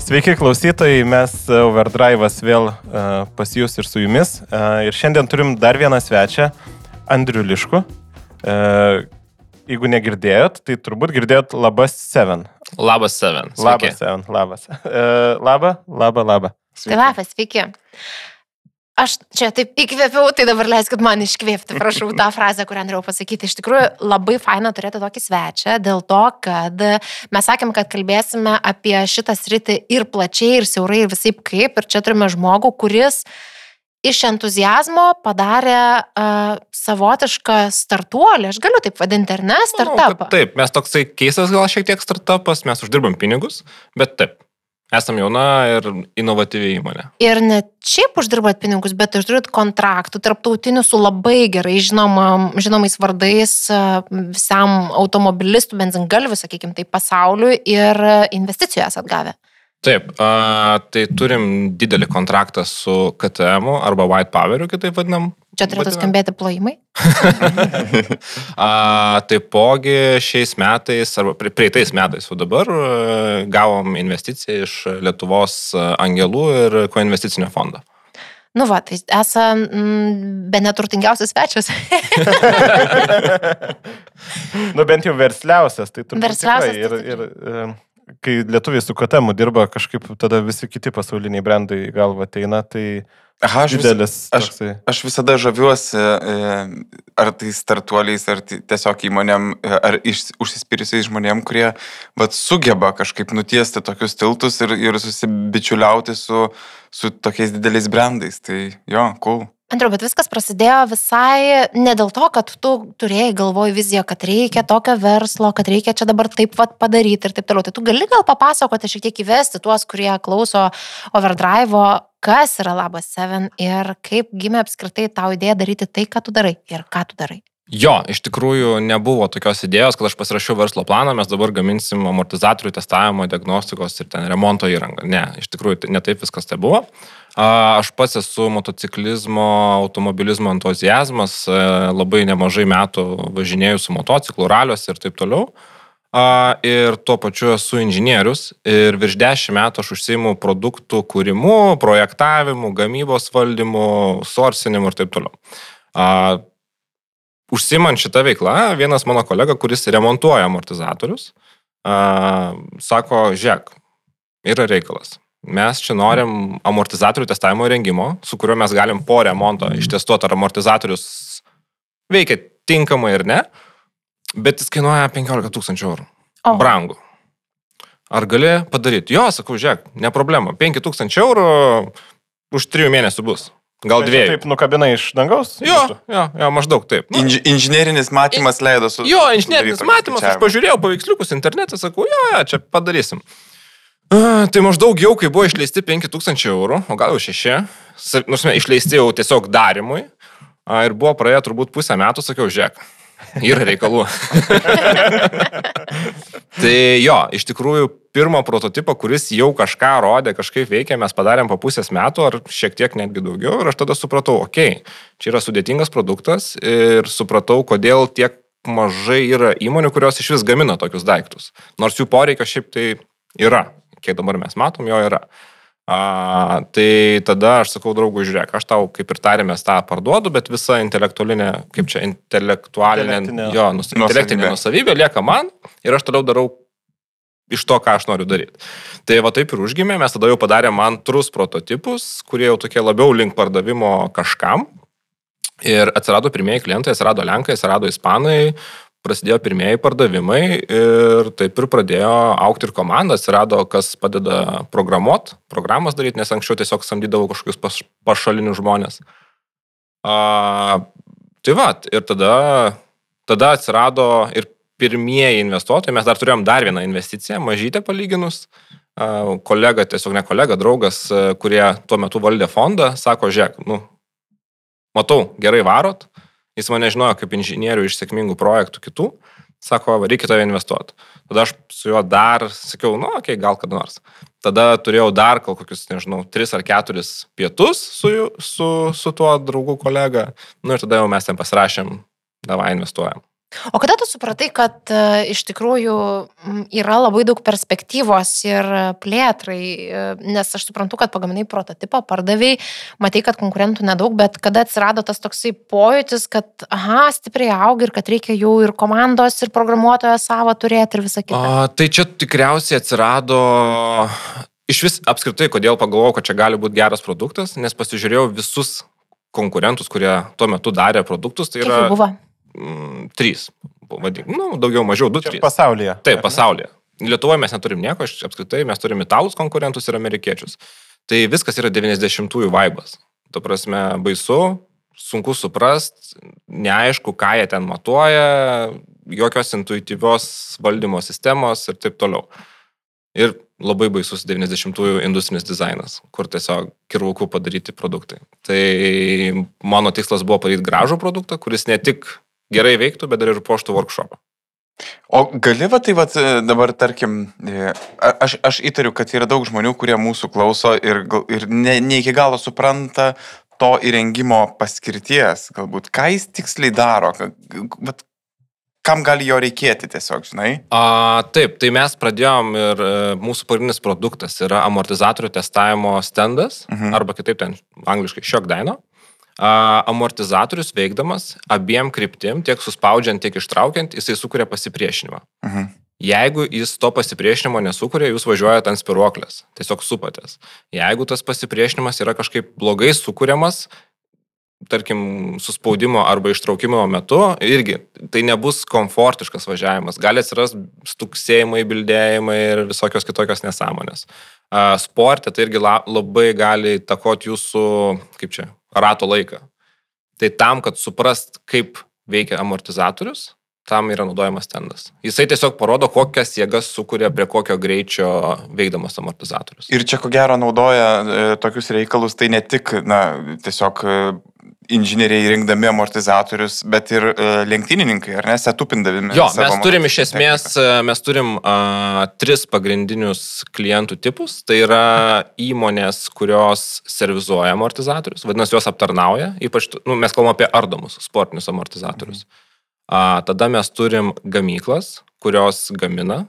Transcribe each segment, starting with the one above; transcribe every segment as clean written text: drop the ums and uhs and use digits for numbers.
Sveiki klausytojai, mes Overdrive'as vėl pas jūs ir su jumis. Ir šiandien turim dar vieną svečią, Andrių Liškų. Jeigu negirdėjot, tai turbūt girdėjot Labas 7. Labas 7. Sveiki. Labas 7. Labas. Tai labas, sveiki. Aš čia taip įkvėpiau, tai dabar leiskit man iškvėpti, prašau, tą frazę, kurią norėjau pasakyti. Iš tikrųjų, labai faina turėti tokį svečią, dėl to, kad mes sakėm, kad kalbėsime apie šitą sritį ir plačiai, ir siaurai, ir visaip kaip. Ir čia turime žmogų, kuris iš entuziazmo padarė savotišką startuolį. Aš galiu taip vadinti, ar ne? Startupą. Taip, mes toksai keistas gal šiek tiek startupas, mes uždirbam pinigus, bet taip. Esam jauna ir inovatyvi įmonė. Ir ne šiaip uždirbat pinigus, bet ir turit kontraktų tarptautinių su labai gerai žinomais vardais visam automobilistų, benzingalvių, sakykime, tai pasauliui ir investicijų esat gavę. Taip, tai turim didelį kontraktą su KTM arba White Poweriu, kitaip vadinam. Čia turėtų skambėti plojimai. Taipogi šiais metais, arba prieitais metais, o dabar gavom investiciją iš Lietuvos angelų ir koinvesticinio fondo. Nu va, tai esam be neturtingiausias svečias. Nu bent jau versliausias, tai turbūt versliausias, tikrai. Ir kai lietuviai su KTM dirba, kažkaip tada visi kiti pasauliniai brandai į galvą ateina, tai aš visada žaviuosi, ar tai startuoliais, ar tiesiog įmonėm, ar užsispyrusiais žmonėm, kurie sugeba kažkaip nutiesti tokius tiltus ir susibičiuliauti su tokiais dideliais brandais. Tai jo, cool. Andriau, bet viskas prasidėjo visai ne dėl to, kad tu turėjai galvoj viziją, kad reikia tokio verslo, kad reikia čia dabar taip padaryti ir taip toliau. Tai tu gali gal papasakoti, šiek tiek įvesti tuos, kurie klauso Overdrive'o, kas yra Labas 7 ir kaip gimė apskritai tau idėja daryti tai, ką tu darai ir ką tu darai. Jo, iš tikrųjų nebuvo tokios idėjos, kad aš pasirašiau verslo planą, mes dabar gaminsim amortizatorių testavimo, diagnostikos ir ten remonto įrangą. Ne, iš tikrųjų ne taip viskas tai buvo. Aš pats esu motociklizmo, automobilizmo entuziazmas, labai nemažai metų važinėjau su motociklu, raliuose ir taip toliau. Ir tuo pačiu esu inžinierius ir virš 10 metų aš užsiimu produktų kūrimu, projektavimu, gamybos valdymu, sourcinimu ir taip toliau. Užsimant šitą veiklą, vienas mano kolega, kuris remontuoja amortizatorius, sako, žiūrėk, yra reikalas. Mes čia norim amortizatorių testavimo įrengimo, su kuriuo mes galim po remonto ištestuoti, ar amortizatorius veikia tinkamai ir ne, bet jis kainuoja 15 000 eurų. Brangu. Ar gali padaryti? Jo, sakau, žiūrėk, ne problema. 5 000 eurų už 3 mėnesių bus. Gal 2. Taip nukabina iš dangaus? Jo, maždaug taip. Inžinerinis matymas leido su... Jo, inžinerinis matymas, aš pažiūrėjau paveiksliukus internete, sakau, jo, čia padarysim. Tai maždaug jau, kai buvo išleisti 5 000 eurų, o gal jau 6, nors išleisti jau tiesiog darimui, ir buvo praėję turbūt pusę metų, sakiau, žiūrėk, yra reikalų. Tai jo, iš tikrųjų, pirmą prototipą, kuris jau kažką rodė, kažkaip veikia, mes padarėm po pusės metų, ar šiek tiek netgi daugiau, ir aš tada supratau, okei, čia yra sudėtingas produktas, ir supratau, kodėl tiek mažai yra įmonių, kurios iš vis gamina tokius daiktus. Nors jų poreikio šiaip tai yra. Kiek dabar mes matom, jo yra. Tai tada aš sakau draugui, žiūrėk, aš tau kaip ir tarėmės tą parduodu, bet visa intelektualinė, kaip čia, intelektinė nusavybė lieka man ir aš toliau darau iš to, ką aš noriu daryti. Tai va taip ir užgimė, mes tada jau padarėm antrus prototipus, kurie jau tokie labiau link pardavimo kažkam ir atsirado pirmieji klientai, atsirado lenkai, atsirado ispanai, prasidėjo pirmieji pardavimai ir taip ir pradėjo augti ir komanda, atsirado, kas padeda programas daryti, nes anksčiau tiesiog samdydavau kažkokius pašalinius žmonės. Tai va, ir tada atsirado ir pirmieji investuotojai, mes dar turėjom dar vieną investiciją, mažytę palyginus, kolega, tiesiog ne kolega, draugas, kurie tuo metu valdė fondą, sako, žiūrėk, matau, gerai varot, jis mane žinojo kaip inžinierių iš sėkmingų projektų kitų, sako, reikia tave investuoti. Tada aš su juo dar sakiau, okei, gal kada nors. Tada turėjau dar kokius, 3 ar 4 pietus su tuo draugu kolega, ir tada jau mes ten pasirašėm, davai investuojam. O kada tu supratai, kad iš tikrųjų yra labai daug perspektyvos ir plėtrai, nes aš suprantu, kad pagaminai prototipą, pardavėjai, matai, kad konkurentų nedaug, bet kada atsirado tas toksai pojūtis, kad stipriai auga ir kad reikia jau ir komandos, ir programuotojo savo turėti ir visą kitą. Tai čia tikriausiai atsirado iš vis apskritai, kodėl pagalvojau, kad čia gali būti geras produktas, nes pasižiūrėjau visus konkurentus, kurie tuo metu darė produktus. Tai yra... 3, daugiau mažiau 2-3. Pasaulyje. Taip, pasaulyje. Lietuvoje mes neturim nieko, apskritai mes turim italus konkurentus ir amerikiečius. Tai viskas yra 90-ųjų vaibas. Ta prasme, baisu, sunku suprast, neaišku, ką jie ten matuoja, jokios intuityvios valdymo sistemos ir taip toliau. Ir labai baisus 90-ųjų industrinis dizainas, kur tiesiog kirvukų padaryti produktai. Tai mano tikslas buvo padaryti gražų produktą, kuris ne tik gerai veiktų, bet dar ir puoštų workshopą. O gali dabar, tarkim, aš įtariu, kad yra daug žmonių, kurie mūsų klauso ir ne iki galo supranta to įrengimo paskirties, galbūt, ką jis tiksliai daro, kam gali jo reikėti tiesiog, žinai? Taip, tai mes pradėjom ir mūsų pagrindinis produktas yra amortizatorių testavimo standas, arba kitaip ten angliškai shock dyno. Amortizatorius veikdamas abiem kryptim, tiek suspaudžiant, tiek ištraukiant, jisai sukuria pasipriešinimą. Jeigu jis to pasipriešinimo nesukuria, jūs važiuojate ant spiruoklės, tiesiog supatės. Jeigu tas pasipriešinimas yra kažkaip blogai sukuriamas, tarkim, suspaudimo arba ištraukimo metu, irgi tai nebus komfortiškas važiavimas. Gali atsiras stuksėjimai, bildėjimai ir visokios kitokios nesąmonės. Sporte tai irgi labai gali įtakoti jūsų, rato laiką. Tai tam, kad suprast, kaip veikia amortizatorius, tam yra naudojamas standas. Jisai tiesiog parodo, kokias jėgas sukuria prie kokio greičio veikdamas amortizatorius. Ir čia ko gero naudoja tokius reikalus, tai ne tik, tiesiog inžinieriai rinkdami amortizatorius, bet ir lenktynininkai, ar ne, setupindavimi. Jo, mes turim iš esmės, mes turim 3 pagrindinius klientų tipus. Tai yra įmonės, kurios servizuoja amortizatorius, vadinasi, jos aptarnauja, ypač, mes kalbame apie ardomus sportinius amortizatorius. Tada mes turim gamyklas, kurios gamina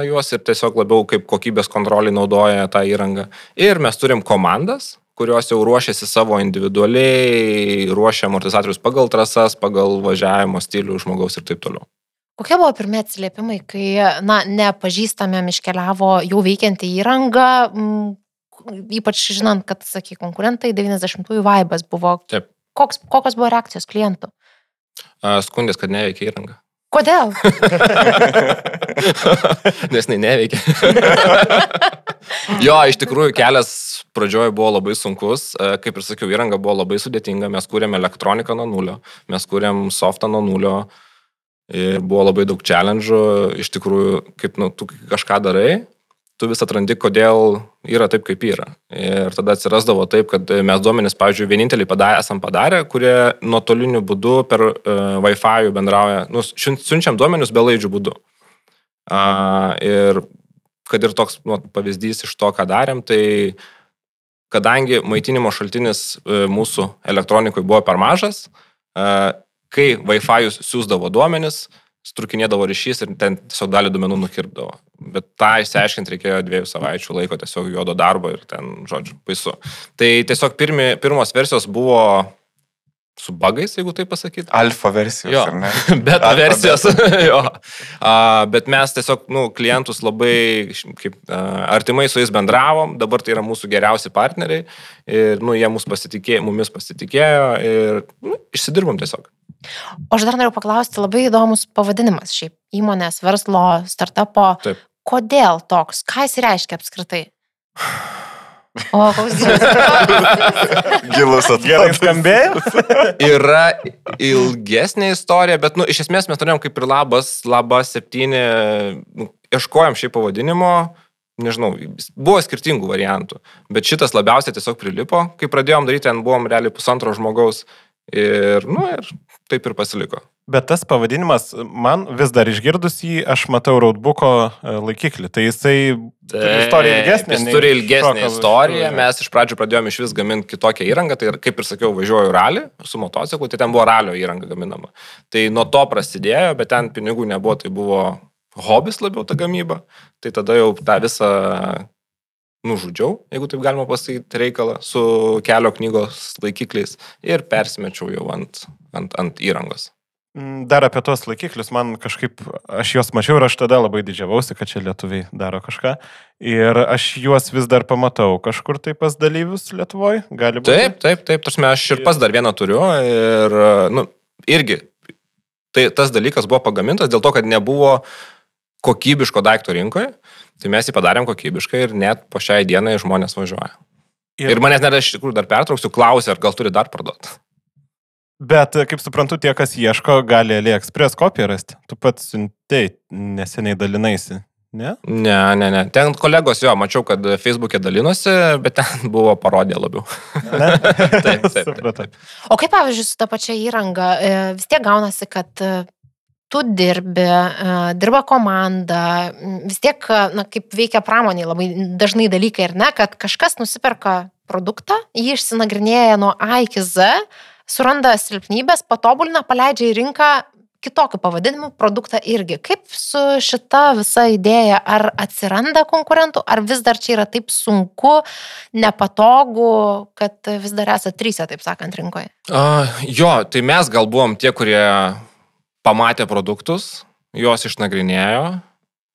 juos ir tiesiog labiau kaip kokybės kontrolį naudoja tą įrangą. Ir mes turim komandas, kurios jau ruošiasi savo individualiai, ruošia amortizatorius pagal trasas, pagal važiavimo stilių žmogaus ir taip toliau. Kokie buvo pirmie atsiliepimai, kai, nepažįstamėm iškeliavo jau veikianti įranga, ypač žinant, kad, konkurentai 90-ųjų vaibas buvo. Taip. Kokios buvo reakcijos klientų? Skundės, kad neveikia įranga. Kodėl? Nes neveikia. Jo, iš tikrųjų kelias pradžioje buvo labai sunkus. Kaip ir sakiau, įranga buvo labai sudėtinga. Mes kūrėm elektroniką nuo nulio, mes kūrėm softą nuo nulio ir buvo labai daug challenge'ų. Iš tikrųjų, kaip tu kažką darai, tu vis atrandi, kodėl yra taip, kaip yra. Ir tada atsirasdavo taip, kad mes duomenis, pavyzdžiui, vienintelį esam padarę, kurie nuotoliniu būdu per Wi-Fi bendrauja, siunčiam duomenius belaidžių būdu. Ir kad ir toks pavyzdys iš to, ką darėm, tai kadangi maitinimo šaltinis mūsų elektronikui buvo per mažas, kai Wi-Fi siūsdavo duomenis, strukinėdavo ryšys ir ten tiesiog dalį duomenų nukirpdavo. Bet tą išsiaiškinti reikėjo 2 savaičių laiko tiesiog juodo darbo ir ten, žodžiu, baisu. Tai tiesiog pirmos versijos buvo su bugais, jeigu taip pasakyti. Alfa versijos, jo, ar ne? Beta versijos, jo. Bet mes tiesiog, klientus labai artimai su jais bendravom, dabar tai yra mūsų geriausi partneriai ir, jie mumis pasitikėjo ir išsidirbom tiesiog. O aš dar noriu paklausti, labai įdomus pavadinimas šiaip įmonės, verslo, startupo. Taip. Kodėl toks? Ką jis reiškia apskritai? O, koks gilus Gerai skambėjo? Yra ilgesnė istorija, bet, iš esmės mes turėjom kaip ir Laba 7, ieškojom šiaip pavadinimo, nežinau, buvo skirtingų variantų, bet šitas labiausiai tiesiog prilipo. Kai pradėjom daryti, ten buvom realiai 1,5 žmogaus ir, ir taip ir pasiliko. Bet tas pavadinimas, man vis dar išgirdus jį, aš matau Roadbook'o laikiklį. Tai jisai istorija ilgesnė. Jis turi ilgesnę istoriją. Mes iš pradžių pradėjome iš vis gaminti kitokią įrangą. Tai kaip ir sakiau, važiuoju ralį su motociklu, tai ten buvo ralio įranga gaminama. Tai nuo to prasidėjo, bet ten pinigų nebuvo, tai buvo hobis labiau ta gamyba. Tai tada jau tą visą nužudžiau, jeigu taip galima pasakyti reikalą, su kelio knygos laikikliais ir persimečiau jau ant įrangos. Dar apie tuos laikiklius, man kažkaip, aš juos mačiau ir aš tada labai didžiavausi, kad čia lietuviai daro kažką. Ir aš juos vis dar pamatau kažkur tai pas dalyvius Lietuvoje, gali būti. Taip, tarsi aš ir pas dar vieną turiu ir, irgi, tai tas dalykas buvo pagamintas dėl to, kad nebuvo kokybiško daikto rinkoje, tai mes jį padarėm kokybiškai ir net po šiai dienai žmonės važiuoja. Ir manęs net aš iš tikrųjų dar pertrauksiu, klausia, ar gal turi dar parduoti. Bet, kaip suprantu, tie, kas ieško, gali AliExpress kopiją rasti. Tu pats siuntei, neseniai dalinaisi, ne? Ne. Ten kolegos, mačiau, kad Facebook'e dalinosi, bet ten buvo parodė labiau. Taip. O kaip, pavyzdžiui, su ta pačia įranga, vis tiek gaunasi, kad tu dirba komanda, vis tiek, kaip veikia pramoniai, labai dažnai dalykai, ir ne, kad kažkas nusiperka produktą, jį išsinagrinėja nuo A iki Z, suranda silpnybės, patobulina, paleidžia į rinką kitokių pavadinimų produktą irgi. Kaip su šita visa idėja, ar atsiranda konkurentų, ar vis dar čia yra taip sunku, nepatogu, kad vis dar esate trysia, taip sakant, rinkoje? Tai mes gal buvom tie, kurie pamatė produktus, juos išnagrinėjo,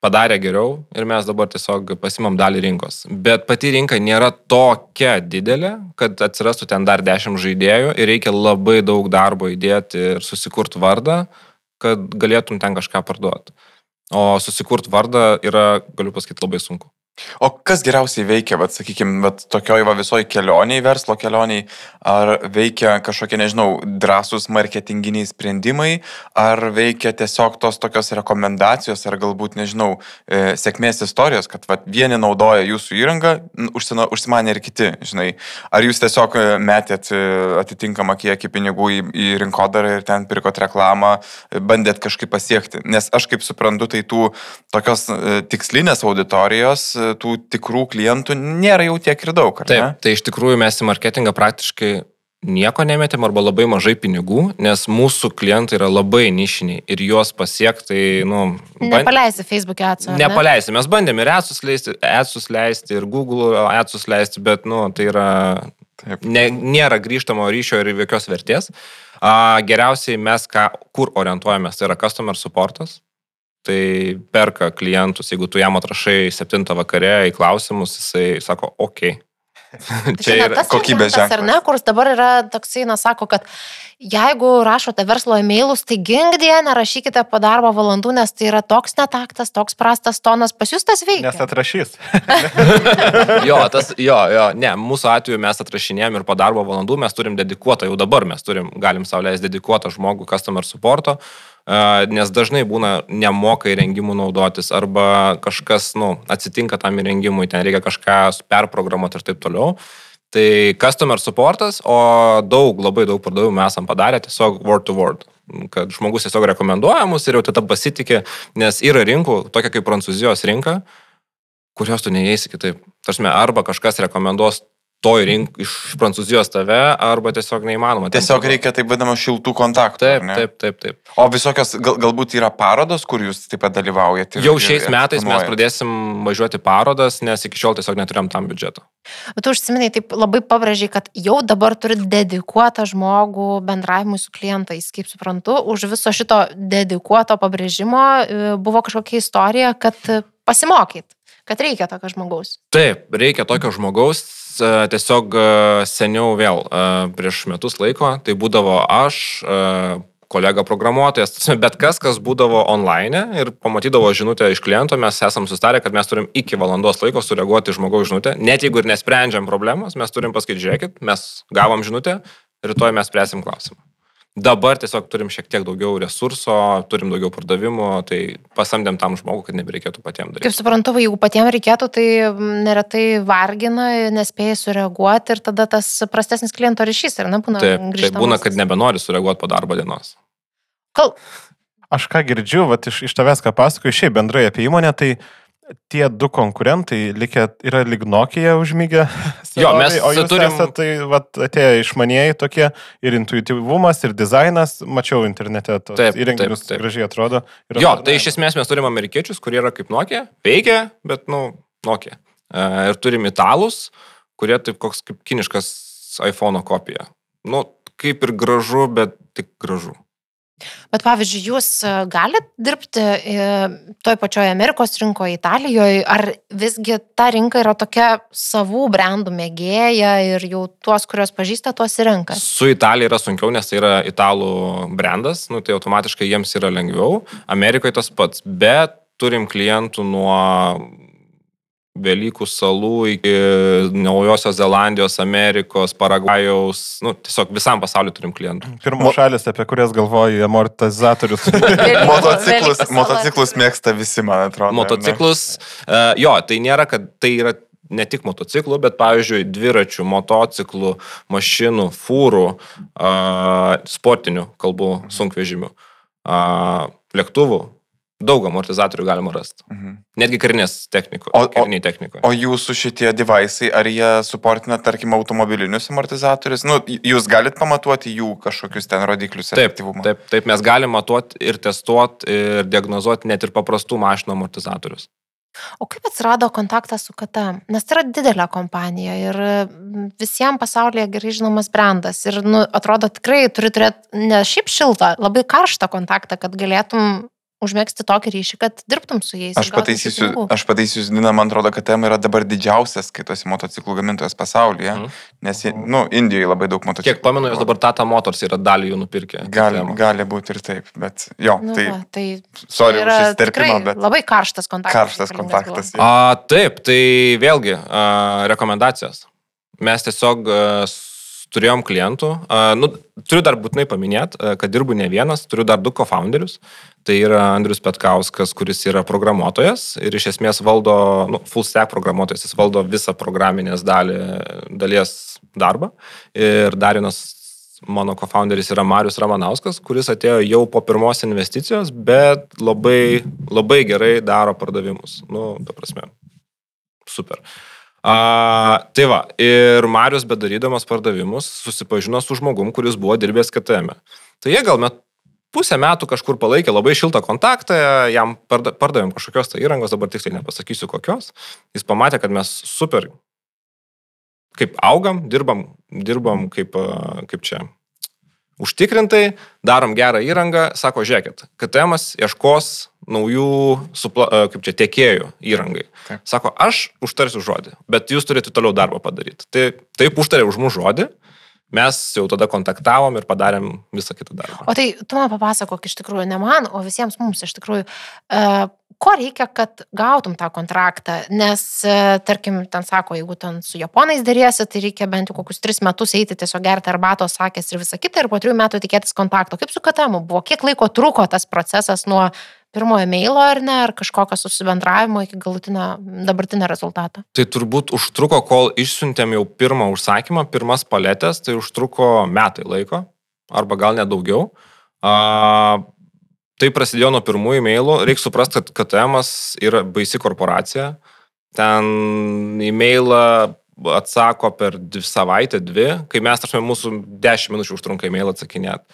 padarė geriau ir mes dabar tiesiog pasimam dalį rinkos. Bet pati rinka nėra tokia didelė, kad atsirastų ten dar 10 žaidėjų ir reikia labai daug darbo įdėti ir susikurti vardą, kad galėtum ten kažką parduoti. O susikurti vardą yra, galiu pasakyti, labai sunku. O kas geriausiai veikia, sakykime, tokioj visoji kelioniai, verslo kelioniai, ar veikia kažkokie, nežinau, drąsūs marketinginiai sprendimai, ar veikia tiesiog tos tokios rekomendacijos, ar galbūt, nežinau, sėkmės istorijos, kad vieni naudoja jūsų įrangą, užsimanė ir kiti, žinai. Ar jūs tiesiog metėt atitinkamą kiekį pinigų į rinkodarą ir ten pirkot reklamą, bandėt kažkaip pasiekti? Nes aš kaip suprantu, tai tų tokios tikslinės auditorijos, tų tikrų klientų nėra jau tiek ir daug, ar ne? Taip, tai iš tikrųjų mes į marketingą praktiškai nieko nemetėm arba labai mažai pinigų, nes mūsų klientai yra labai nišiniai ir juos pasiekti, Nepaleisi Facebook'e adsų, ne? Nepaleisi, mes bandėm ir adsus leisti, ir Google adsus leisti, bet, tai yra, nėra grįžtamo ryšio ir jokios vertės. Geriausiai mes, kur orientuojamės, tai yra customer supportas. Tai perka klientus, jeigu tu jam atrašai 7 vakare į klausimus, jisai sako, okei. Čia yra kokybės ženklas, ar ne, kuris dabar yra toksai, sako, kad jeigu rašote verslo e-mailus, tai gingdie, nerašykite po darbo valandų, nes tai yra toks netaktas, toks prastas tonas, pas jūs tas veikia. Nes atrašys. Ne, mūsų atveju mes atrašinėjom ir po darbo valandų mes turim dedikuotą, jau dabar mes galim sau leisti dedikuotą žmogų customer supporto, nes dažnai būna nemoka įrengimų naudotis arba kažkas, atsitinka tam įrengimui, ten reikia kažką perprogramuoti ir taip toliau. Tai customer supportas, o labai daug pardavimų mes esam padarę tiesiog word to word, kad žmogus tiesiog rekomenduoja mus ir jau tada pasitikė, nes yra rinkų, tokia kaip Prancūzijos rinka, kurios tu neįeisi kitaip. Tarsi, arba kažkas rekomenduos toj iš Prancūzijos tave, arba tiesiog neįmanoma. Tiesiog reikia taip vadinamo šiltų kontaktų. Taip. O visokios, galbūt yra parodos, kur jūs taip pat dalyvaujate? Jau šiais metais mes pradėsim važiuoti parodas, nes iki šiol tiesiog neturėjom tam biudžeto. Bet tu užsiminai, taip labai pabrėžiai, kad jau dabar turi dedikuotą žmogų bendravimui su klientais, kaip suprantu, už viso šito dedikuoto pabrėžimo buvo kažkokia istorija, kad pasimokyt, kad reikia tokio žmogaus. Taip, reikia tokio žmogaus. Tiesiog seniau vėl prieš metus laiko, tai būdavo aš, kolega programuotojas, bet kas būdavo online ir pamatydavo žinutę iš kliento, mes esam sustarę, kad mes turim iki valandos laiko sureaguoti žmogaus žinutę, net jeigu ir nesprendžiam problemos, mes turim pasakyti, žiūrėkit, mes gavom žinutę, rytoj mes spręsim klausimą. Dabar tiesiog turim šiek tiek daugiau resurso, turim daugiau pardavimų, tai pasamdėm tam žmogų, kad nebereikėtų patiems daryti. Kaip suprantu, jeigu patiems reikėtų, tai neretai vargina, nespėja sureaguoti ir tada tas prastesnis kliento ryšys, ar ne, būna grįžtamas? Taip, būna, kad nebenori sureaguoti po darbo dienos. Aš ką girdžiu, iš tavęs ką pasakoju, šiaip bendrai apie įmonę, tai tie du konkurentai yra lyg Nokia užmygę. Jo, mes turim... Tai atėjo išmanieji tokie ir intuityvumas, ir dizainas, mačiau internete, įrenginius gražiai atrodo. Jo, tai iš esmės mes turim amerikiečius, kurie yra kaip Nokia, veikia, bet, Nokia. Ir turim italus, kurie taip koks kaip kiniškas iPhone'o kopija. Kaip ir gražu, bet tik gražu. Bet pavyzdžiui, jūs galite dirbti toj pačioje Amerikos rinkoje, Italijoje, ar visgi ta rinka yra tokia savų brandų mėgėja ir jau tuos, kuriuos pažįsta, tuos įrenka? Su Italija yra sunkiau, nes tai yra italų brandas, tai automatiškai jiems yra lengviau. Amerikoje tas pats, bet turim klientų nuo Velykų salų iki Naujosios Zelandijos, Amerikos, Paragvajaus, tiesiog visam pasauliu turim klientų. Pirmos šalis, apie kurias galvoju, amortizatorius. Motociklus mėgsta visi, man atrodo. Motociklus, tai nėra, kad tai yra ne tik motociklų, bet pavyzdžiui, dviračių, motociklų, mašinų, fūrų, sportinių, kalbų, sunkvežimių, lėktuvų. Daug amortizatorių galima rasti. Netgi karinės technikos. O jūsų šitie devaisai, ar jie suportina, tarkim, automobilinius amortizatorius? Jūs galite pamatuoti jų kažkokius ten rodiklius efektyvumą? Taip, mes galim matuoti ir testuoti ir diagnozuoti net ir paprastų mašinų amortizatorius. O kaip atsirado kontaktas su KTM? Nes tai yra didelė kompanija ir visiems pasaulyje gerai žinomas brandas. Ir atrodo tikrai turi turėti ne šiaip šiltą, labai karštą kontaktą, kad galėtum užmėgsti tokį ryšį, kad dirbtum su jais. Aš pataisysiu, Dina, man atrodo, kad KTM yra dabar didžiausias skaitosi motociklų gamintojas pasaulyje, nes Indijoje labai daug motociklų. Kiek pamenu, jos dabar Tata Motors yra dalį jų nupirkę. Gali būti ir taip, bet jo, tai sorry už įsiterpimą, bet labai karštas kontaktas. Taip, tai vėlgi rekomendacijos. Mes tiesiog turėjom klientų. Turiu dar būtinai paminėti, kad dirbu ne vienas, turiu dar 2 co-founderius. Tai yra Andrius Petkauskas, kuris yra programuotojas ir iš esmės valdo, full stack programuotojas, jis valdo visą programinės dalies darbą. Ir dar vienas mano co-founderis yra Marius Ramanauskas, kuris atėjo jau po pirmos investicijos, bet labai, labai gerai daro pardavimus. Ta prasme, super. Tai va, ir Marius bedarydamas pardavimus susipažino su žmogum, kuris buvo dirbęs KTM. Tai jie gal pusę metų kažkur palaikė labai šiltą kontaktą, jam pardavėm kažkokios tai įrangos, dabar tiksliai nepasakysiu kokios. Jis pamatė, kad mes super kaip augam, dirbam kaip čia užtikrintai, darom gerą įrangą, sako, žiūrėkit, KTM-as ieškos naujų tiekėjų įrangai. Taip. Sako, aš užtarsiu žodį, bet jūs turite toliau darbą padaryti. Taip užtarė už mūsų žodį, mes jau tada kontaktavom ir padarėm visą kitą darbą. O tai tu man papasakok iš tikrųjų, ne man, o visiems mums iš tikrųjų, ko reikia, kad gautum tą kontraktą, nes, tarkim, ten sako, jeigu ten su japonais dėrėsi, tai reikia bent jau kokius 3 metus eiti tiesiog gerti arbatos, sakės ir visą kitą, ir po 3 metų tikėtis kontakto. Kaip su KTM buvo? Kiek laiko truko tas procesas nuo pirmojo mailo ar ne, ar kažkokio susibendravimo iki dabartinio rezultato? Tai turbūt užtruko, kol išsiuntėm jau pirmą užsakymą, pirmas paletės, tai užtruko metai laiko, arba gal net daugiau. Tai prasidėjo nuo pirmųjų mailų. Reikia suprasti, kad KTM-as yra baisi korporacija. Ten e-mailą atsako per 2 savaitę, 2, kai mes, mūsų 10 minučių užtrunka e-mailą atsakinėti.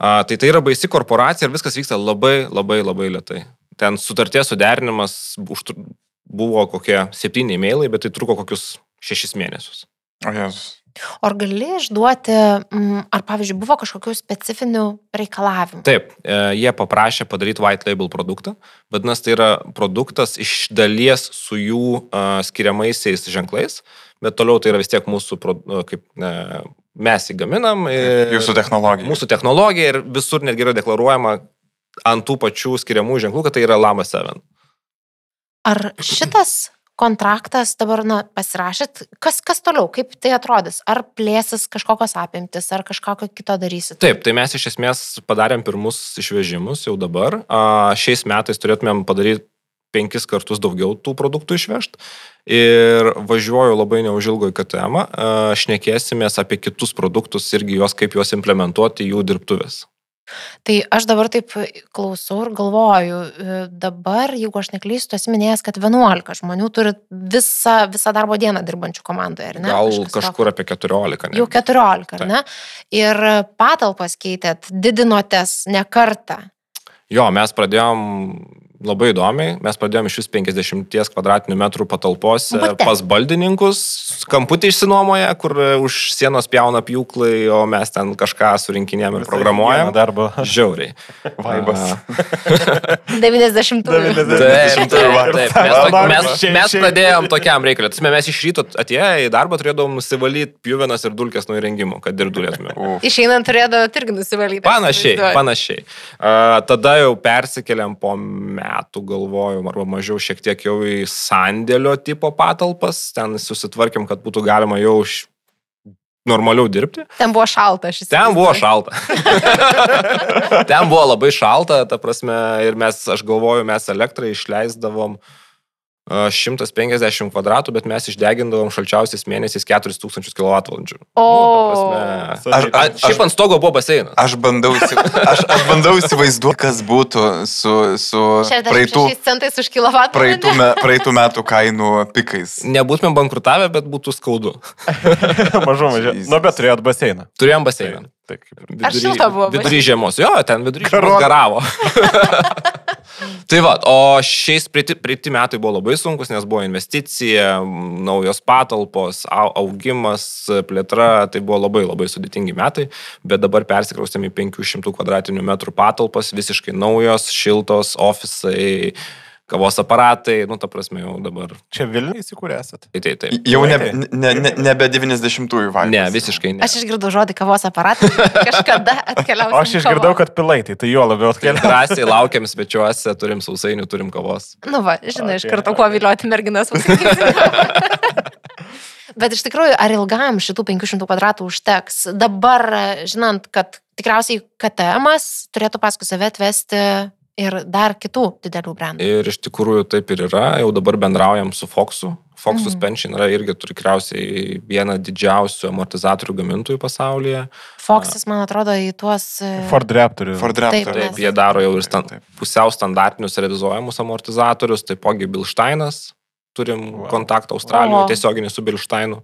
Tai yra baisi korporacija ir viskas vyksta labai, labai, labai lėtai. Ten sutarties suderinimas buvo kokie 7 e-mailai, bet tai truko kokius 6 mėnesius. O Jėzus. Ar gali išduoti, ar pavyzdžiui buvo kažkokių specifinių reikalavimų? Taip, jie paprašė padaryti white label produktą, vadinasi, tai yra produktas iš dalies su jų skiriamaisiais ženklais, bet toliau tai yra vis tiek mūsų, mes įgaminam. Jūsų technologija. Mūsų technologija ir visur netgi yra deklaruojama ant tų pačių skiriamų ženklų, kad tai yra Lama 7. Ar šitas kontraktas dabar, pasirašėt, kas toliau, kaip tai atrodys? Ar plėsis kažkokios apimtis, ar kažkokio kito darysit? Taip, tai mes iš esmės padarėm pirmus išvežimus jau dabar. Šiais metais turėtumėm padaryti 5 kartus daugiau tų produktų išvežti. Ir važiuoju labai neužilgo į KTM, šnekėsimės apie kitus produktus irgi kaip juos implementuoti jų dirbtuvės. Tai aš dabar taip klausau ir galvoju, dabar, jeigu aš neklystu, esi minėjęs, kad 11 žmonių turi visą darbo dieną dirbančių komandoje, ar ne? Gal kažkur apie 14. Jau 14, ar ne? Ir patalpas keitėt, didinotės ne kartą. Jo, mes pradėjom labai įdomiai, mes pradėjom iš vis 50 kvadratinių metrų patalpose pas baldininkus, kamputį išsinuomoja, kur už sienos pjauna pjūklai, o mes ten kažką surinkinėjom ir programuojam. Darbo. Žiauriai. Vaibas. 90-ųjų. Taip. Mes pradėjom tokiam reikalui. Mes iš ryto atėję į darbą turėdavom nusivalyti pjuvenas ir dulkes nuo įrengimų, kad ir dulėtume. Išeinant turėdavo irgi nusivalyti. Panašiai. Tada jau persikeliam po metų, galvojom, arba mažiau šiek tiek jau į sandėlio tipo patalpas. Ten susitvarkėm, kad būtų galima jau normaliau dirbti. Ten buvo šalta. Ten buvo labai šalta, ta prasme, ir aš galvoju, mes elektrą išleisdavom 150 kvadratų, bet mes išdegindavom šalčiausiais mėnesiais 4000 kWh. Šiaip ant stogo buvo baseinas. Aš bandau įsivaizduoti, kas būtų su 66 centais už kilovatvalandę. praeitų metų kainų pikais. Nebūtume bankrutavę, bet būtų skaudu. Mažu. Nu, bet turėjot baseiną. Turėjom baseiną. Ar šilta buvo? Vidury žiemos. Jo, ten vidury žiemos garavo. Tai va, o šiais praeiti metai buvo labai sunkus, nes buvo investicija, naujos patalpos, augimas, plėtra, tai buvo labai labai sudėtingi metai, bet dabar persikraustėm į 500 kvadratinių metrų patalpas, visiškai naujos, šiltos, ofisai, kavos aparatai, ta prasme jau dabar. Čia Vilniuje įsikūrė esat? Taip. Jau nebe 90-ųjų vaibas. Ne, visiškai ne. Aš išgirdau žodį kavos aparatai, kažkada atkeliausiu. Aš išgirdau, kad pilaitai, tai jo labiau atkeliausiu. Drąsiai laukiam svečiuose, turim sausainių, turim kavos. Nu va, žinai, iš karto kuo vilioti merginas užsakyti. Bet iš tikrųjų, ar ilgam šitų 500 kvadratų užteks? Dabar, žinant, kad tikriausiai KTM-as turėtų paskui save atvesti ir dar kitų didelių brandų. Ir iš tikrųjų taip ir yra. Jau dabar bendraujam su Foxu. Fox Suspension yra irgi tikriausiai viena didžiausių amortizatorių gamintojų pasaulyje. Foxas, man atrodo, į tuos... Ford Raptorių. Taip, jie daro jau ir pusiau standartinius realizuojamus amortizatorius, taipogi Bilsteinas. Turim kontaktą Australijoje tiesioginį su Bilsteinu.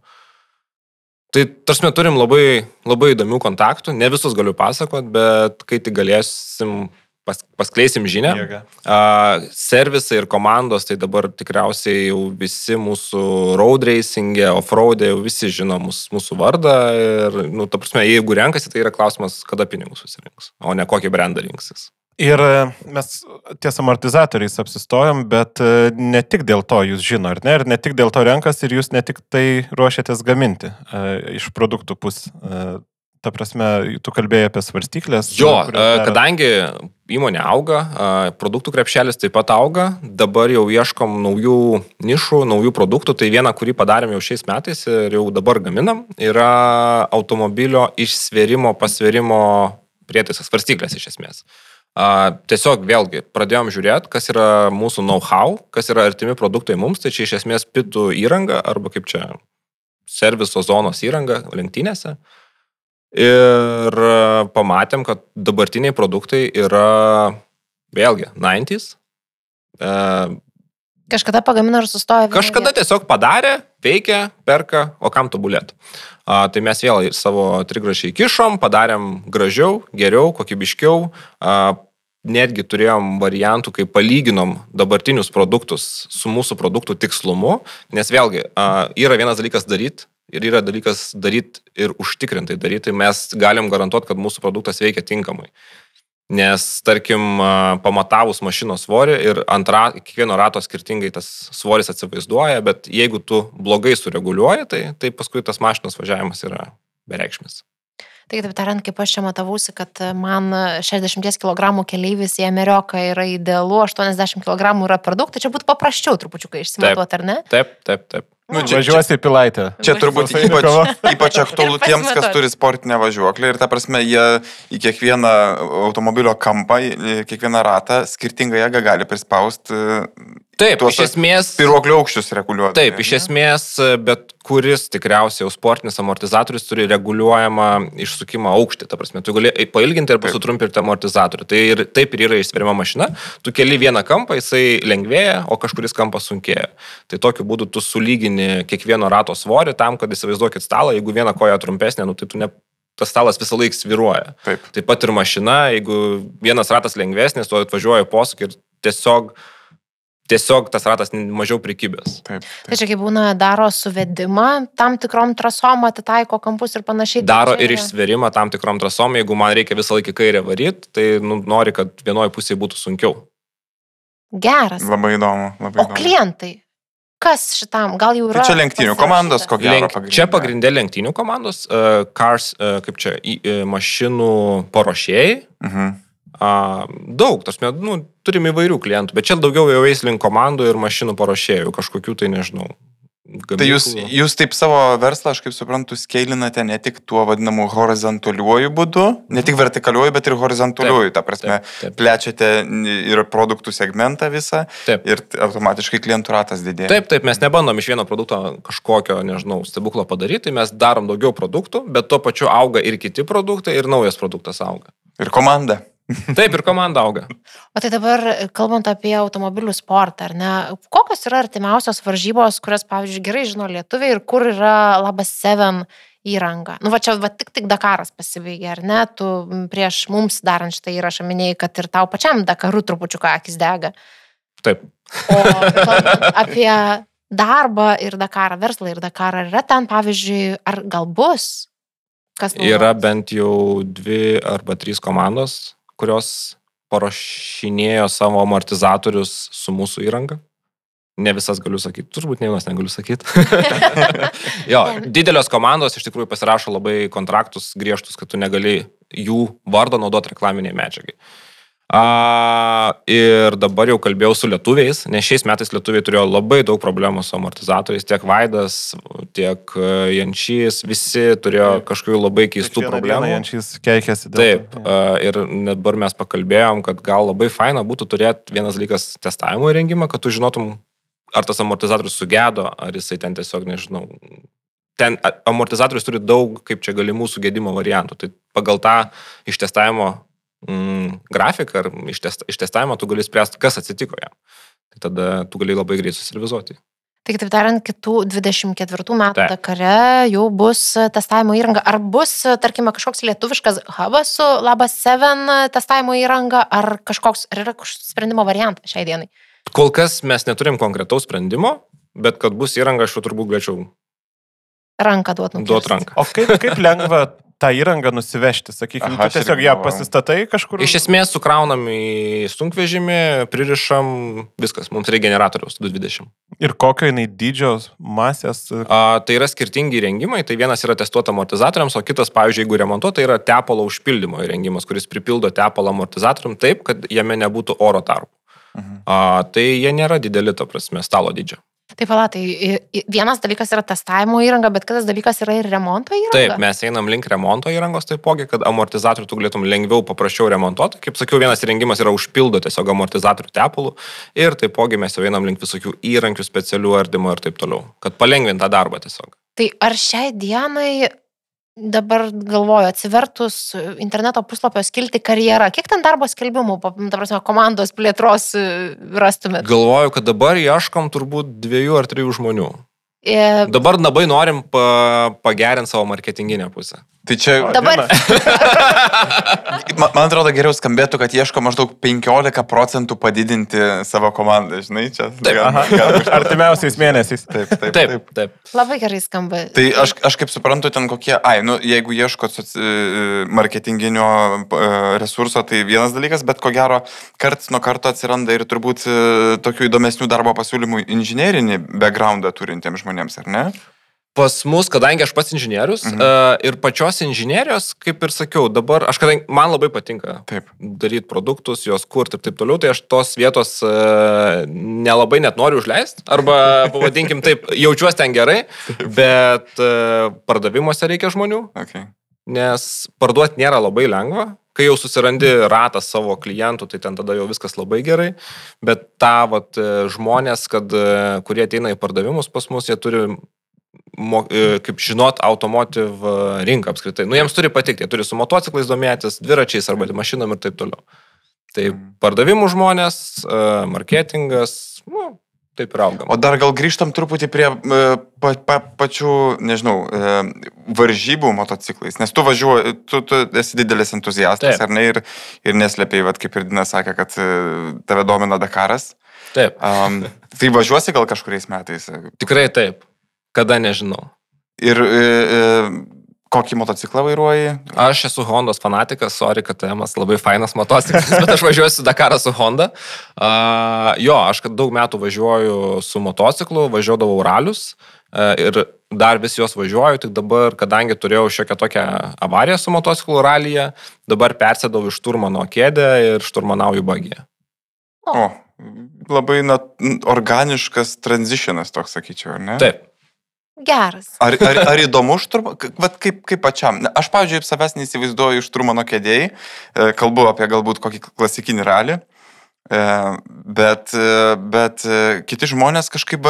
Tai tarsi turim labai, labai įdomių kontaktų. Ne visus galiu pasakot, bet kai tik galėsim paskleisim žinią. Servisai ir komandos, tai dabar tikriausiai jau visi mūsų road racing'e, off-road'e, jau visi žino mūsų vardą ir, ta prasme, jeigu renkasi, tai yra klausimas, kada pinigus susirinks, o ne kokį brandą rinksis. Ir mes ties amortizatoriais apsistojom, bet ne tik dėl to jūs žino, ar ne? Ir ne tik dėl to renkas, ir jūs ne tik tai ruošiatės gaminti iš produktų pusės. Ta prasme, tu kalbėjai apie svarstyklės. Jo, kadangi įmonė auga, produktų krepšelis taip pat auga, dabar jau ieškom naujų nišų, naujų produktų. Tai vieną, kurį padarėm jau šiais metais ir jau dabar gaminam, yra automobilio išsvėrimo, pasvėrimo prietaisas, svarstyklės iš esmės. Tiesiog vėlgi pradėjom žiūrėti, kas yra mūsų know-how, kas yra artimi produktai mums, tai čia iš esmės pitų įranga arba kaip čia serviso zonos įranga lenktynėse. Ir pamatėm, kad dabartiniai produktai yra vėlgi 90s. Kažkada pagamino ir sustojo. Kažkada tiesiog padarė, veikia, perka, o kam tobulėt. Tai mes vėl savo trigrašį įkišom, padarėm gražiau, geriau, kokybiškiau. Netgi turėjom variantų, kai palyginom dabartinius produktus su mūsų produktų tikslumu, nes vėlgi yra vienas dalykas daryti, ir yra dalykas daryti ir užtikrintai daryti, tai mes galim garantuoti, kad mūsų produktas veikia tinkamai. Nes, tarkim, pamatavus mašinos svorį ir kiekvieno rato skirtingai tas svoris atsivaizduoja, bet jeigu tu blogai sureguliuoji, tai paskui tas mašinos važiavimas yra bereikšmis. Tai taip tariant, kaip aš čia matavausi, kad man 60 kg keleivis į Ameriką yra idealu, 80 kg yra per daug, tai čia būtų paprasčiau trupučiukai išsimatuoti, ar ne? Taip. Važiuosi į Pilaitę. Čia turbūt ypač aktualu tiems, kas turi sportinę važiuoklę ir ta prasme, jie į kiekvieną automobilio kampą, kiekvieną ratą skirtingą jėgą gali prispausti. Taip, iš esmės... Piruoklio aukščius reguliuoti. Taip, iš esmės, bet kuris tikriausiai jau sportinis amortizatorius turi reguliuojamą išsukimo aukštį. Ta prasme, tu gali pailginti ir pasutrumpinti amortizatorių. Tai ir taip ir yra išsveriama mašina. Tu keli vieną kampą, jisai lengvėja, o kažkuris kampas sunkėja. Tai tokiu būdu tu sulygini kiekvieno rato svorį tam, kad įsivaizduokit stalą, jeigu viena koja trumpesnė, tai tu tas stalas visą laiką sviruoja. Taip pat ir mašina, jeigu vienas ratas lengvesnis, tu atvažiuoji posūkį ir tiesiog tas ratas mažiau prikibęs. Tai čia kaip būna daro suvedimą, tam tikrom trasom atitaiko kampus ir panašiai. Daro ir išsverimą tam tikrom trasom, jeigu man reikia visą laiką kairę varyti, tai nori, kad vienoje pusėje būtų sunkiau. Geras. Labai įdomu. O klientai? Kas šitam? Gal jau yra... Tai čia lenktynių komandos, ko gero pagrindė. Čia pagrindė lenktynių komandos, cars, kaip čia, mašinų paruošėjai. Daug, turim įvairių klientų, bet čia daugiau jau eis link komandų ir mašinų paruošėjų, kažkokių tai nežinau. Tai jūs taip savo verslą, aš kaip suprantu, skeilinate ne tik tuo vadinamu horizontaliuoju būdu, ne tik vertikaliuoju, bet ir horizontaliuoju, ta prasme, plečiate ir produktų segmentą visą ir automatiškai klientų ratas didėja. Taip, mes nebandom iš vieno produkto kažkokio, nežinau, stebuklo padaryti, mes darom daugiau produktų, bet tuo pačiu auga ir kiti produktai ir naujas produktas auga. Ir komanda. Taip, ir komanda auga. O tai dabar, kalbant apie automobilių sportą, ar ne, kokios yra artimiausios varžybos, kurias, pavyzdžiui, gerai žino lietuviai ir kur yra Labas 7 įranga? Čia tik Dakaras pasibaigė, ar ne? Tu prieš mums darant šitą įrašą minėjai, kad ir tau pačiam Dakaru trupučiuką akis dega. Taip. O kalbant apie darbą ir Dakarą, verslą ir Dakarą, yra ten, pavyzdžiui, ar gal bus? Yra bent jau 2 arba 3 komandos, kurios paruošinėjo savo amortizatorius su mūsų įranga. Ne visas galiu sakyti, turbūt ne vienas negaliu sakyti. Jo, didelios komandos iš tikrųjų pasirašo labai kontraktus griežtus, kad tu negali jų vardo naudoti reklaminiai medžiagai. Ir dabar jau kalbėjau su lietuviais, nes šiais metais lietuviai turėjo labai daug problemų su amortizatoriais, tiek Vaidas, tiek Jančys, visi turėjo kažkokių labai keistų problemų. Jančys keikėsi. Taip, ir dabar mes pakalbėjom, kad gal labai faina būtų turėti vienas dalykas testavimo įrengimą, kad tu žinotum, ar tas amortizatorius sugedo, ar jisai ten tiesiog, nežinau. Ten amortizatorius turi daug, kaip čia galimų sugedimo variantų. Tai pagal tą ištestavimo grafiką ar ištestavimą tu gali spręsti, kas atsitiko jam. Tai tada tu gali labai greit suservizuoti. Tai kitaip tariant, kitų 24 metų Dakare jau bus testavimo įranga. Ar bus, tarkime, kažkoks lietuviškas hubas su Labas 7 testavimo įranga, ar yra kažkoks sprendimo variantas šiai dienai? Kol kas mes neturim konkretaus sprendimo, bet kad bus įranga, aš jau turbūt galėčiau ranką duoti. Ranką. O kaip lengva tą įrangą nusivežti, sakykime, tu tiesiog ją pasistatai kažkur? Iš esmės sukraunam į sunkvežimį, pririšam, viskas, mums reikia generatoriaus 220. Ir kokio jinai dydžio masės? Tai yra skirtingi įrengimai, tai vienas yra testuota amortizatoriams, o kitas, pavyzdžiui, jeigu remontuota, tai yra tepalo užpildymo įrengimas, kuris pripildo tepalą amortizatoriam taip, kad jame nebūtų oro tarpų. Tai jie nėra dideli, ta prasme, stalo dydžio. Taip, tai vienas dalykas yra testavimo įranga, bet kitas dalykas yra ir remonto įranga. Taip, mes einam link remonto įrangos taipogi, kad amortizatorių tu galėtum lengviau, paprasčiau remontuoti. Kaip sakiau, vienas įrengimas yra užpildo tiesiog amortizatorių tepalų ir taipogi mes jau einam link visokių įrankių, specialių ardymo ir taip toliau, kad palengvint tą darbą tiesiog. Tai ar šiai dienai dabar galvoju, atsivertus interneto puslapio skilti karjerą, kiek ten darbo skelbimų, ta prasme, komandos plėtros rastumėt? Galvoju, kad dabar ieškom turbūt 2 ar 3 žmonių. Dabar labai norim pagerinti savo marketinginę pusę. Tai čia... Dabar... Man atrodo, geriau skambėtų, kad ieško maždaug 15% padidinti savo komandą, žinai, čia. Artimiausiais mėnesiais. Taip. Labai gerai skamba. Tai aš kaip suprantu, ten kokie, jeigu ieško marketinginio resurso, tai vienas dalykas, bet ko gero, karts nuo karto atsiranda ir turbūt tokių įdomesnių darbo pasiūlymų inžinerinį backgroundą turintiems žmonėms, ar ne? Pas mus, kadangi aš pats inžinierius ir pačios inžinierijos, kaip ir sakiau, dabar man labai patinka daryti produktus, juos kurti ir taip toliau, tai aš tos vietos nelabai net noriu užleisti, arba pavadinkim taip, jaučiuosi ten gerai, bet pardavimuose reikia žmonių, nes parduoti nėra labai lengva. Kai jau susirandi ratą savo klientų, tai ten tada jau viskas labai gerai, bet žmonės, kurie ateina į pardavimus pas mus, jie turi kaip žinot, automotive rinką apskritai. Jiems turi patikti, jie turi su motociklais domėtis, dviračiais arba mašinom ir taip toliau. Tai pardavimų žmonės, marketingas, taip ir augam. O dar gal grįžtam truputį prie pačių, nežinau, varžybų motociklais, nes tu važiuoji, tu esi didelis entuziastas, ar ne, ir neslėpiai, kaip ir Dina sakė, kad tave domina Dakaras. Taip. Tai važiuosi gal kažkuriais metais? Tikrai taip. Kada nežinau. Ir kokį motociklą vairuoji? Aš esu Hondos fanatikas, sorry, KTM-as labai fainas motociklas, bet aš važiuosiu Dakarą su Honda. Aš daug metų važiuoju su motociklu, važiuodavau ralius ir dar vis juos važiuoju, tik dabar, kadangi turėjau šiokią tokią avariją su motociklu ralyje, dabar persėdau iš šturmano kėdę ir šturmanauju bagiją. Labai organiškas transitionas toks, sakyčiau, ar ne? Taip. Geras. Ar įdomu kaip pačiam? Aš, pavyzdžiui, savęs neįsivaizduoju iš šturmano kėdėjai, kalbu apie galbūt kokį klasikinį ralį, bet kiti žmonės kažkaip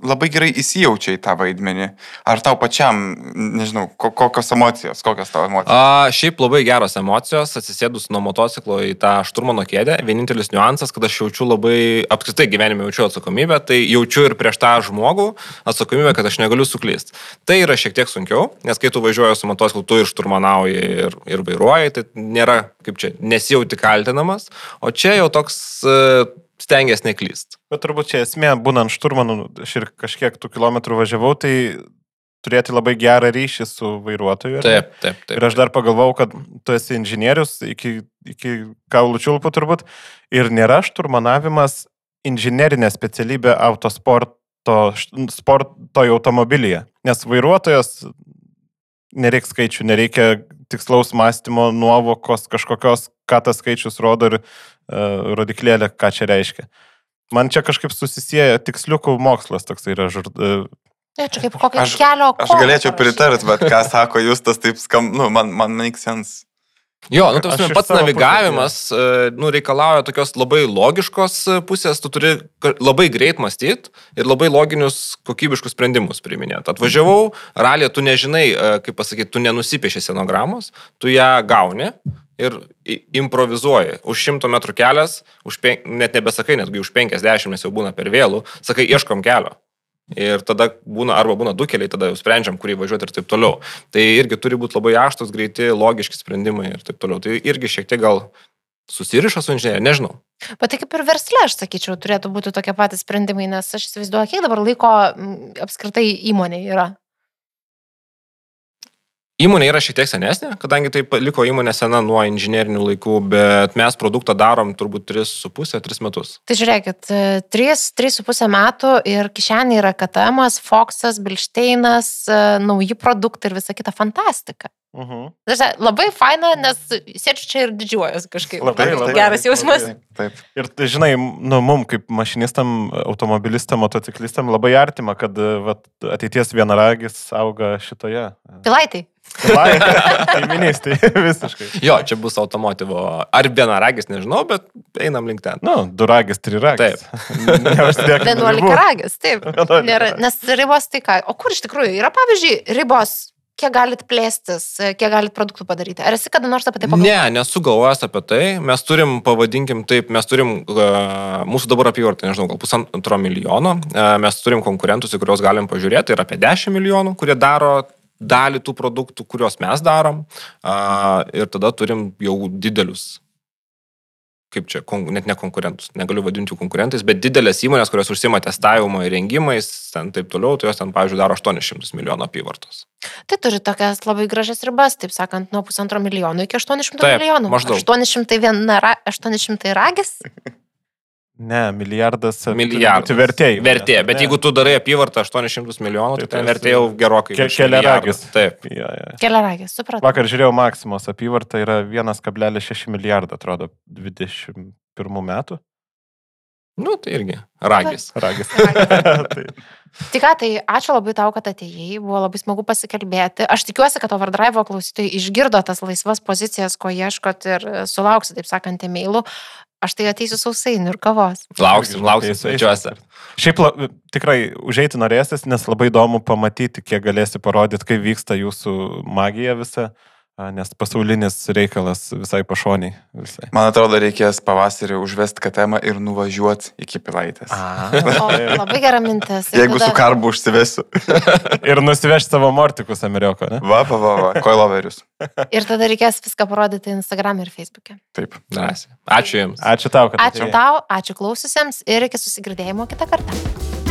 labai gerai įsijaučia į tą vaidmenį. Ar tau pačiam, nežinau, kokios emocijos, tavo emocijos? Šiaip labai geros emocijos, atsisėdus nuo motociklo į tą šturmano kėdę. Vienintelis niuansas, kad aš jaučiu labai, apskritai gyvenime jaučiu atsakomybę, tai jaučiu ir prieš tą žmogų atsakomybę, kad aš negaliu suklysti. Tai yra šiek tiek sunkiau, nes kai tu važiuoji su motociklu, tu ir šturmanauji ir vairuoji, tai nėra, kaip čia, nesijauti kaltinamas, o čia jau toks stengiasi neklyst. Bet turbūt čia esmė, būnant šturmanu, aš ir kažkiek tų kilometrų važiavau, tai turėti labai gerą ryšį su vairuotoju. Taip. Ir aš dar pagalvojau, kad tu esi inžinierius iki kaulų čiulpų turbūt, ir nėra šturmanavimas inžinerinė specialybė sportoj automobilyje, nes vairuotojas nereikia skaičių, nereikia tikslaus mąstymo, nuovokos kažkokios, ką tas skaičius rodo ir rodiklėlė, ką čia reiškia. Man čia kažkaip susisieja tiksliukų mokslas toks yra. Čia kaip kokio kelio aš galėčiau pritart, bet ką sako Justas, taip man make sense. Pats navigavimas reikalauja tokios labai logiškos pusės, tu turi labai greit mąstyti ir labai loginius kokybiškus sprendimus priiminėti. Atvažiavau, ralyje tu nežinai, kaip pasakyti, tu nenusipieši scenogramos, tu ją gauni ir improvizuoji. Už 100 metrų kelias, net nebesakai, netgi už 50, nes jau būna per vėlų, sakai, ieškom kelio. Ir tada būna du keliai, tada jau sprendžiam, kurį važiuoti ir taip toliau. Tai irgi turi būti labai aštus, greiti, logiški sprendimai ir taip toliau. Tai irgi šiek tiek gal susiriša su inžinierija, nežinau. Bet tai kaip ir versle, aš sakyčiau, turėtų būti tokie patys sprendimai, nes aš įsivaizduoju, kiek dabar laiko apskritai įmonė yra. Įmonė yra šiek tiek senesnė, kadangi tai liko įmonė sena nuo inžinierinių laikų, bet mes produktą darom turbūt 3,5-3 metus. Tai žiūrėkit, 3,5 metų ir kišenė yra KTM-as, Foxas, Bilšteinas, nauji produktai ir visa kita fantastika. Labai faina, nes sėdžiu čia ir didžiuojas kažkaip. Labai geras jausmas. Taip. Ir tai, žinai, mum kaip mašinistam, automobilistam, motociklistam labai artima, kad ateities vienaragis auga šitoje. Pilaitai. Kaiminystai, visiškai. Čia bus automotivo. Ar vienaragis, nežinau, bet einam link ten. 2 ragis, 3 ragis. Taip. 11 ragis, taip. Nes ribos tai ką? O kur iš tikrųjų yra, pavyzdžiui, ribos? Kiek galit plėstis, kiek galit produktų padaryti? Ar esi kada nors apie tai pagalvojęs? Ne, nesu galvojęs apie tai. Mes turim, pavadinkim taip, mūsų dabar apyvarta, nežinau, gal 1,5 milijono. Mes turim konkurentus, į kuriuos galim pažiūrėti, tai yra apie 10 milijonų, kurie daro dalį tų produktų, kuriuos mes darom. Ir tada turim jau didelius, kaip čia, net ne konkurentus, negaliu vadinti jų konkurentais, bet didelės įmonės, kurios užsima testavimo įrengimais, ten taip toliau, tai jos ten, pavyzdžiui, daro 800 milijonų apyvartos. Tai turi tokias labai gražias ribas, taip sakant, nuo 1,5 milijonų iki 800 taip, milijonų. Maždaug. 800 ragis? Ne, milijardas. Milijardas. Vertė, bet jeigu tu darai apyvartą 800 milijonų, tai ten vertė jau gerokai. Keliaragis. Taip. Keliaragis, supratau. Vakar žiūrėjau Maksimos apyvartą, yra 1,6 milijardą, atrodo, 21 metų. Nu, tai irgi. Ragis. Tai ką, tai ačiū labai tau, kad atėjai, buvo labai smagu pasikalbėti. Aš tikiuosi, kad Overdrive klausytojai išgirdo tas laisvas pozicijas, ko ieškot ir sulauksi, taip sakant, e-mailų. Aš tai ateisiu sausainių ir kavos. Lauksim svečiuose. Šiaip tikrai užeiti norėsis, nes labai įdomu pamatyti, kiek galėsi parodyti, kaip vyksta jūsų magija visa. Nes pasaulinis reikalas visai pašoniai. Visai. Man atrodo, reikės pavasarį užvesti katemą ir nuvažiuoti iki Pilaitės. Labai gera mintis. Jeigu tada... su karbu užsivesiu. Ir nusivežti savo mortikus Ameriko, ne? Va, koiloverius. Ir tada reikės viską parodyti Instagram ir Facebook'e. Taip. Ačiū Jums. Ačiū tau, kad atėjai. Ačiū tau, ačiū klaususiems ir iki susigirdėjimo kitą kartą.